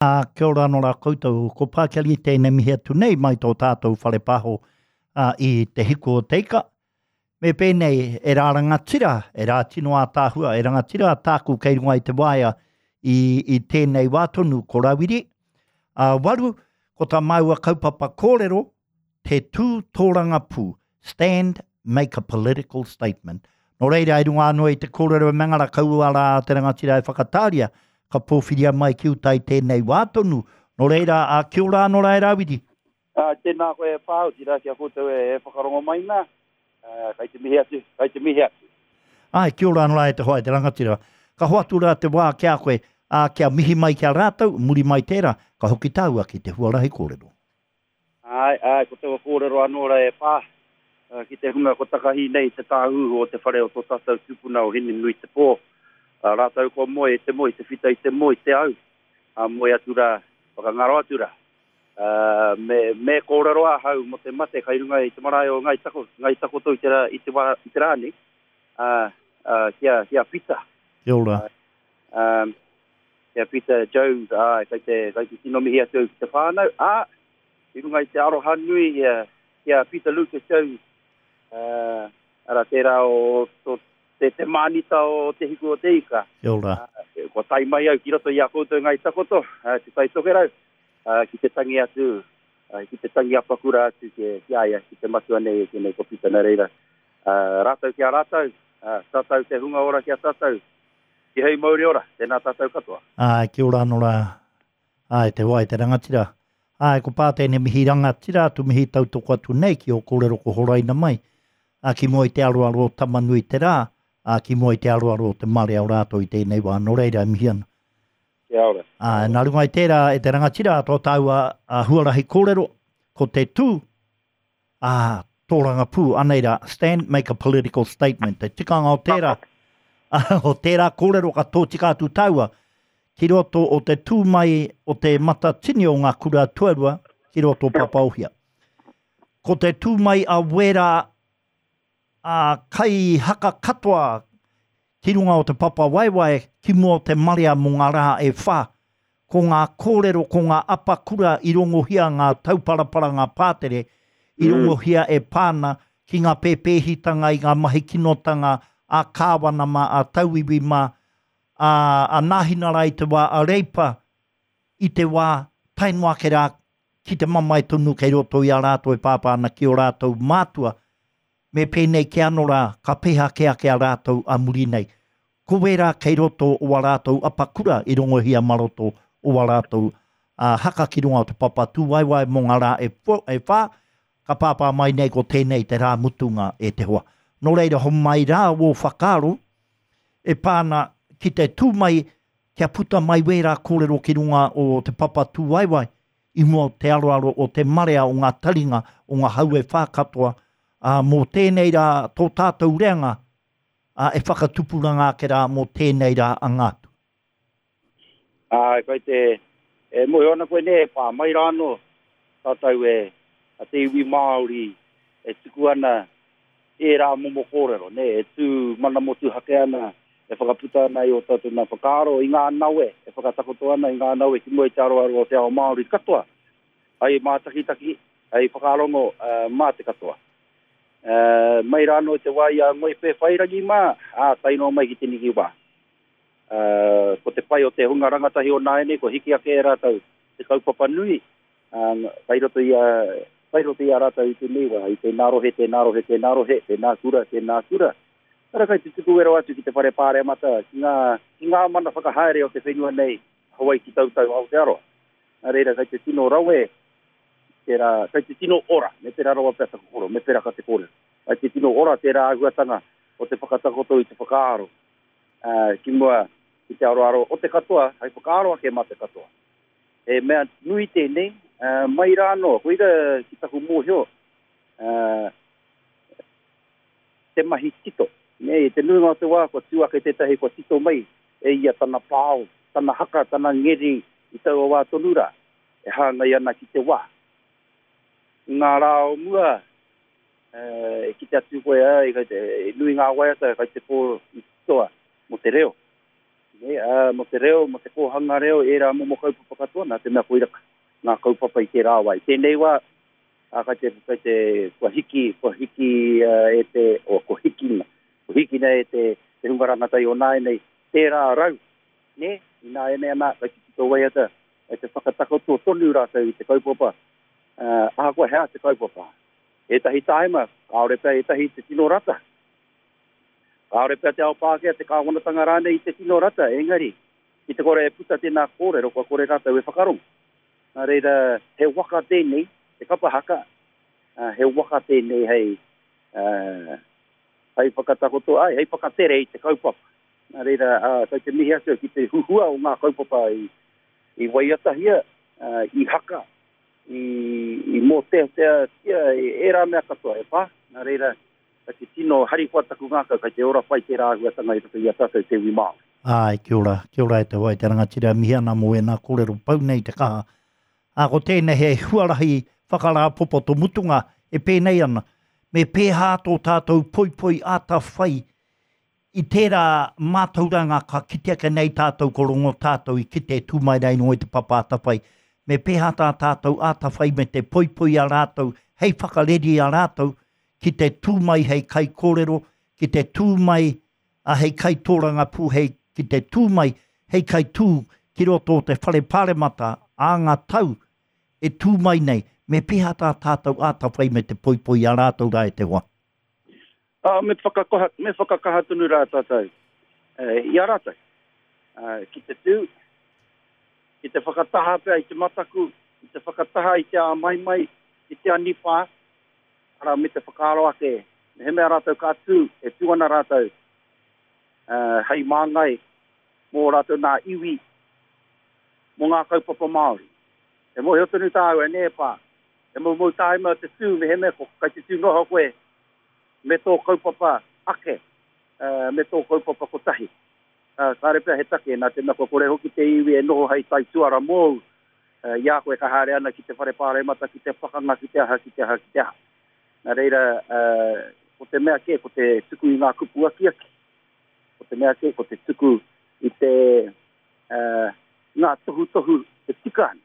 Ā, kia ora anō rā koutou. Ko Pākeri tēnei mihi atu nei mai tō tātou whare pāho ā, i Te Hiku o Te Ika. Me pēnei, e rā rangatira, e rā tino ātaahua, e rangatira tāku kei runga i te waea i, i tēnei wā tonu, ko Rawiri. Ā, waru, ko tā māua kaupapa kōrero, Te tū tōrangapū, stand, make a political statement. Nō reira, i runga anō i te kōrero e Mangara kaua rā te rangatira e whakatāria, ka pōwhiria mai ki uta i tēnei wā tonu. Nō reira, ā, kia ora anō rā e Rāwiri. Ā, tēnā koe e pā, otirā ki a koutou e whakarongo mai nā, ā, kai te mihi atu, kai te mihi atu. Āe, kia ora anō rā e te hoa e te rangatira. Ka hoatu rā te wā ki a koe, ā, kia mihi mai ki a rātou, muri mai tērā, ka hoki tāua ki te huarahi kōrero. Āe, āe, ko taua kōrero anō rā e pā ki te hunga ko takahi nei te tāhuhu o te whare o tō tātou tupuna o Hinenuitepō, rātou kua moe i te moe, te whita i te moe, te au, ā, moe atu rā, whakangaro atu rā. Me, me kōrero ahau mō te mate kai runga i te marae o Ngāi Tako, Ngāi Takoto i te rā, i te wā, i te rā nei, ā, ā, ki a, ki a Pita. Kia ora. Ā, Ki a Peter Jones, āe, kei te, kei te tino mihi atu au ki te whānau, ā, i runga i te aroha nui ki a Peter Lucas Jones, ā, arā, tērā o, o te, te mānita o Te Hiku o Te Ika. Kia ora. Ā, kua tae mai au ki roto i a koutou Ngāi Takoto, ā, Te Tai Tokerau, ā, ki te tangi atu, ā, ki te tangi apakura atu ki, ki a ia, ki te matua nei e tēnei ko Peter, nā reira, ā, rātou ki a rātou, ā, tātou te hunga ora ki a tātou, Tihei mauri ora, tēnā tātou katoa. Āe, kia ora anō rā. Āe, te wai, te rangatira. Āe, ko pā tēnei mihi rangatira atu, mihi tautoko atu nei ki ō kōrero ko horaina mai, ā, ki mua i te aroaro o Tamanui te rā, ā, ki mua i te aroaro o te marea o rātou i tēnei wā. Nō reira, e mihi ana. Kia ora. Āe, nā runga i tērā, e te rangatira, tō tāua huarahi kōrero, ko te tū, Ā, tōrangapū, anei rā, stand, make a political statement. Te tikanga o tērā, o tērā kōrero ka tōtika atu tāua ki roto o te tū mai o te matatini o ngā kura tuarua ki roto o Papaohia. Ko te tū mai a wērā a kai haka katoa ki runga o te papa waewae ki mua o te marea mō ngā rā e wha. Ko ngā kōrero, ko ngā apakura i rongohia ngā tauparapara, ngā pātere, i rongohia e pā ana ki ngā pēpēhitanga i ngā mahi kinotanga a Kāwana mā, a tauiwi mā, a, a Nāhinara i te wā, a Reipa i te wā, tae noa ake rā ki te mamae tonu kei roto i a rātou e pāpā ana ki ō rātou mātua, me pēnei kē anō rā, ka peha kē ake a rātou a muri nei. Ko wērā kei roto o a rātou apakura i rongohia mā roto o a rātou haka ki runga o te papa tūwaewae mō ngā rā e, e whā, ka pāpā mai nei ko tēnei te rā mutunga e te hoa. Nō reira, homai rā wō whakaaro e pā ana ki te tū mai kia puta mai wērā kōrero ki runga o te papa tūwaewae i mua o te aroaro o te marea o ngā taringa o ngā hau e whā katoa, ā, mō tēnei rā tō tātou reanga, ā, e whakatupuranga ake rā mō tēnei rā anga atu. Āe, kai te, e mōhio ana koe nē, e pā mai rā anō tātou e, a te iwi Māori e tuku ana ērā momo kōrero, nē, e tū mana motuhake ana, e whakaputa ana i ō tātou nā whakaaro, i ngā nawe, e whakatakoto ana i ngā nawe ki mua i te aroaro o te ao Māori katoa, hei mātakitaki, hei whakarongo mā te katoa. Mai rā anō i te wā i a Ngoi Pēwhairangi mā, ā, tae noa mai ki teneki wā. Ko te pai o te hunga rangatahi o nāianei, kua hiki ake e rātou te kaupapa nui, Ā, kai roto i a, kai roto i a rātou i tēnei wā, i tēnā rohe, tēnā rohe, tēnā rohe, tēnā kura, tēnā kura. Ara kai te tuku wero atu ki te whare pāremata, ki ngā, ki ngā mana whakahaere o te whenua nei, Hawaiki Tautau Aotearoa. Nā reira, kai te tino rawe tērā, kai te tino ora, me pērā rawa pea taku koro, me pērā ka te kōrero. Kai te tino ora tērā āhuatanga o te whakatakoto i te whakaaro, ā, ki mua ki te aroaro o te katoa, hei whakaaro ake mā te katoa. He mea nui tēnei, mai rā anō, koira ki taku mōhio, te mahi tito. Nē, i te nuinga o te wā kua tū ake tētahi kua tito mai e ia tana pao, tana haka, tana ngeri i taua wā tonu rā, e hāngai ana ki te wā. I ngā rā o mua, e kite atu koe, āe, kei te, nui ngā waiata kei te pō i titoa mō te reo. Nē, ā, mō te reo, mō te kōhanga reo, ērā momo kaupapa katoa, nā te mea koira ngā kaupapa i tērā wā. I tēnei wā, ā, kai te, kai te, kua hiki, kua hiki e te, o, kua hikina, kua hikina e te, te hunga rangatahi o nāianei, tērā rau, nē, ināianei ana, kai te tito waiata, kai te whakatakoto tonu rātou i te kaupapa, ā, ahakoa he aha te kaupapa. Ētahi tāima, kāore pea ētahi i te tino rata. Kāore pea te ao Pākehā, te kāwanatanga rānei i te tino rata, engari, ki te kore e puta tēnā kōrero, kua kore rātou e whakarongo. Nā reira, he waka tēnei, te kapa haka, he waka tēnei hei, hei whakatakoto, āe, hei whakatere i te kaupapa. Nā reira, kei te mihi atu au ki te huhua o ngā kaupapa i, i waiatahia, i haka, i, i mōteateatia, ērā mea katoa e pā. Nā reira, Kei te tino harikoa taku ngākau, kei te ora pai tērā āhuatanga i roto i a tātou te iwi Māori. Āe, kia ora, kia ora e te hoa e te rangatira, mihi ana mō ēnā kōrero pau nei te kaha. Ā, ko tēnei he huarahi whakarāpopoto mutunga e pēnei ana, me pēhā tō tātou poipoi āta whai i tērā mātauranga ka kite ake nei tātou ko rongo tātou i kite e tū mai rā i runga i te papa atawhai, me pēhā tā tātou āta whai me te poipoi i a rātou hei whakareri i a rātou ki te tū mai hei kaikōrero, ki te tū mai a hei kaitōrangapū, hei ki te tū mai hei kaitū ki roto o te whare pāremata ā ngā tau e tū mai nei, me pēhā tā tātou āta whai me te poipoi i a rātou rā e te hoa? Ā, me whakakoha, me whakakaha tonu rā tātou i a rātou, ki te tū, ki te whakataha pea i te mataku, ki te whakataha i te āmaimai, i te anipā, arā, me te whakaaro ake, mehemea rātou ka tū, e tū ana rātou hei māngai mō ō rātou nā iwi, mō ngā kaupapa Māori. E mōhio tonu tāua, nē, pā, he moumou tāima te tū mehemea ko, kai te tū noho koe me tō kaupapa ake, me tō kaupapa kotahi. Kāre pea he take, nā te mea kua kore hoki te iwi e noho hei taituara mōu, i a koe ka haere ana ki te whare pāremata, ki te pakanga, ki te aha, ki te aha, ki te aha. Nā reira, ko te mea kē, ko te tuku i ngā kupu akiaki, ko te mea kē, ko te tuku i te, ngā tohutohu e tika ana.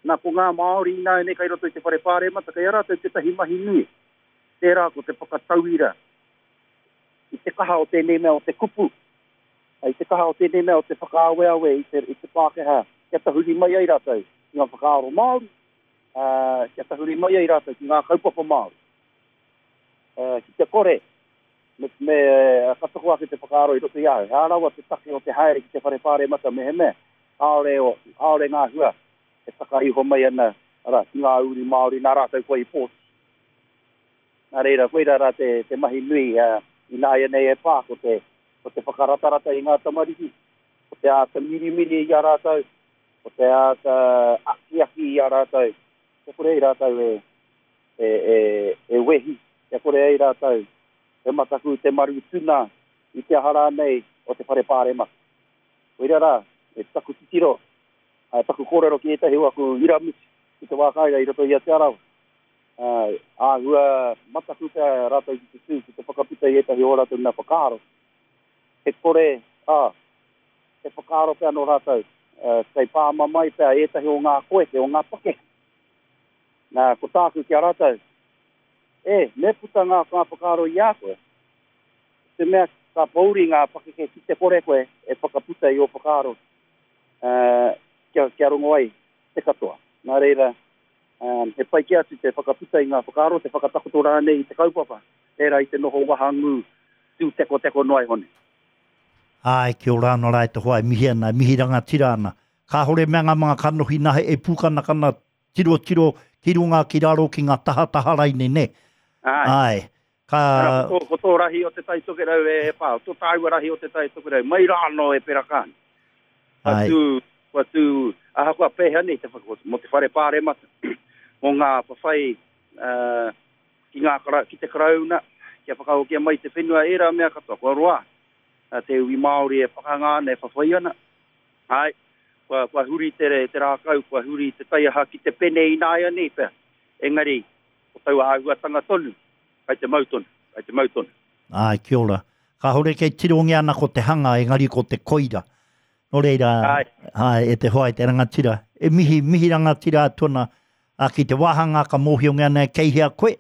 Nā, ko ngā Māori ināianei kai roto i te whare pāremata, kei a rātou tētahi mahi nui. Tērā ko te whakatauira i te kaha o tēnei mea o te kupu, i te kaha o tēnei mea o te whakaaweawe i te, i te Pākehā kia tahuri mai ai rātou ki ngā whakaaro Māori, ā, kia tahuri mai ai rātou ki ngā kaupapa Māori. Ā, ki te kore, me, me, ka toko ake te whakaaro i roto i a au, he aha rawa te take o te haere ki te whare pāremata mehemea kāore, kāore ngā hua e taka iho mai ana, arā, ki ngā uri Māori nā rātou koe i pōti. Nā reira, koirā rā te, te mahi nui ināianei e pā, ko te, ko te whakaratarata i ngā tamariki, ko te āta mirimiri i a rātou, ko te āta akiaki i a rātou, kia kore ai rātou e, e, e, e wehi, kia kore ai rātou e mataku te maru tuna i te aha rānei o te whare pāremata. Koirā rā, e taku titiro, taku kōrero ki ētahi o aku iramutu i te wā kāinga i roto i a Te Arawa. Āhua mataku pea rātou ki te tū, ki te whakaputa i ētahi o ō rātou nā whakaaro. He kore, ā, he whakaaro pea nō rātou, kei pāmamae pea ētahi o ngā koeke, o ngā pakeke. Nā, ko tāku ki a rātou, E, me puta ngā whakaaro i a koe, te mea ka pōuri ngā pakeke ki te kore koe e whakaputa i ō whakaaro kia, kia rongo ai te katoa. Nā reira, he pai kē atu te whakaputa i ngā whakaaro, te whakatakoto rānei i te kaupapa, tērā i te noho wahangū tūtekoteko noa iho nei. Āe, kia ora ana rā e te hoa e mihi ana, e mihi rangatira ana. Kāore mea ngā mga kanohi nahe e pūkanakana tirotiro ki runga ki raro ki ngā tahataha raine, nē? Āe. Āe. Ka... Ara, ko tō, ko tō rahi o Te Tai Tokerau e, e pā, tō tāua rahi o Te Tai Tokerau, mai rā anō e Pera Kāne. Kua tū, kua tū, ahakoa pēhea nei te whaka, mō te whare pāremata, mō ngā whawhai uh, ki, ngā, ki te Karauna, kia whakahokia mai te whenua, ērā mea katoa, kua roa te iwi Māori e pakanga ana, e whawhai ana. Āe, kua, kua huri te, te rākau, kua huri te taiaha ki te pene ināianei pea. Engari, ko taua āhuatanga tonu, kai te mau tonu, kai te mau tonu. Āe, kia ora. Kāore kei tirongia ana ko te hanga, engari ko te koira. Nō reira, āe, e te hoa e te rangatira, e mihi, mihi rangatira atu ana ā, ki te wāhanga ka mōhiongia nei kei hea koe,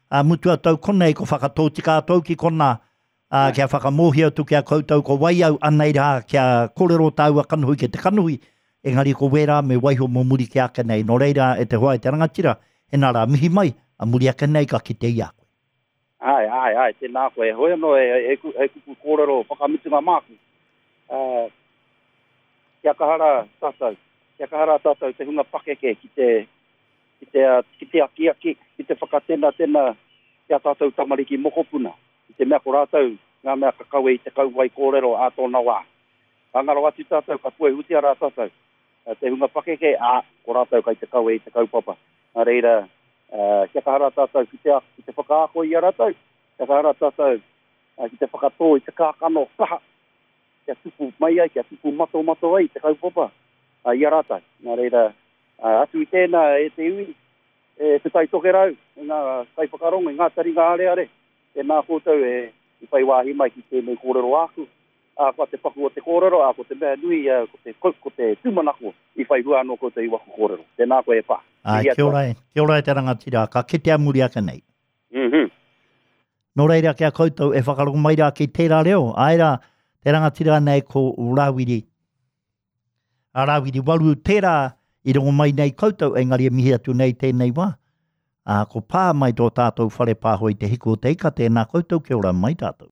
ā, mutu atu au konei ko whakatōtika atu au ki konā, ā, kia whakamōhio atu ki a koutou ko wai au, anei rā, kia kōrero tāua kanohi ki te kanohi, engari ko wērā me waiho mō muri ki ake nei. Nō reira, e te hoa e te rangatira, hena rā, mihi mai, ā muri ake nei ka kite i a koe. Āe, āe, āe, tēnā koe. Heoi anō, he, he, he kupu kōrero whakamutunga māku. Uh, kia kaha rā tātou, kia kaha rā tātou te hunga pakeke ki te, ki te, ki te akiaki, ki te whakatenatena ki a tātou tamariki mokopuna, i te mea ko rātou ngā mea ka kawe i te kauwae kōrero ā tōna wā. Ka ngaro atu tātou, ka puehutia rā tātou, te hunga pakeke, ā, ko rātou kai te kawe i te kaupapa. Nā reira, kia kaha rā tātou ki te, ki te whakaako i a rātou, kia kaha rā tātou ki te whakatō i te kākano kaha, kia tupu mai ai, kia tupu matomato ai te kaupapa i a rātou. Nā reira, atu i tēnā e te iwi, e Te Tai Tokerau, e ngā kaiwhakarongo, e ngā taringa areare, tēnā koutou e i whai wāhi mai ki tēnei kōrero āku. Ā, ko te paku o te kōrero, ā, ko te mea nui, ko te, ko te tūmanako i whai hua anō koutou i waku kōrero. Tēnā koe e pā. Āe, kia ora e, kia ora e te rangatira, ka kitea muri ake nei. Mm-hmm. Nō reira ki a koutou e whakarongo mai rā ki tērā reo, āe rā, te rangatira nei ko Rāwiri. A Rāwiri Waru tērā i rongo mai nei koutou, engari e mihi atu nei tēnei wā. Ā, ko pā mai tō tātou whare pāho i te hiku o te ika, tēnā koutou, kia ora mai tātou.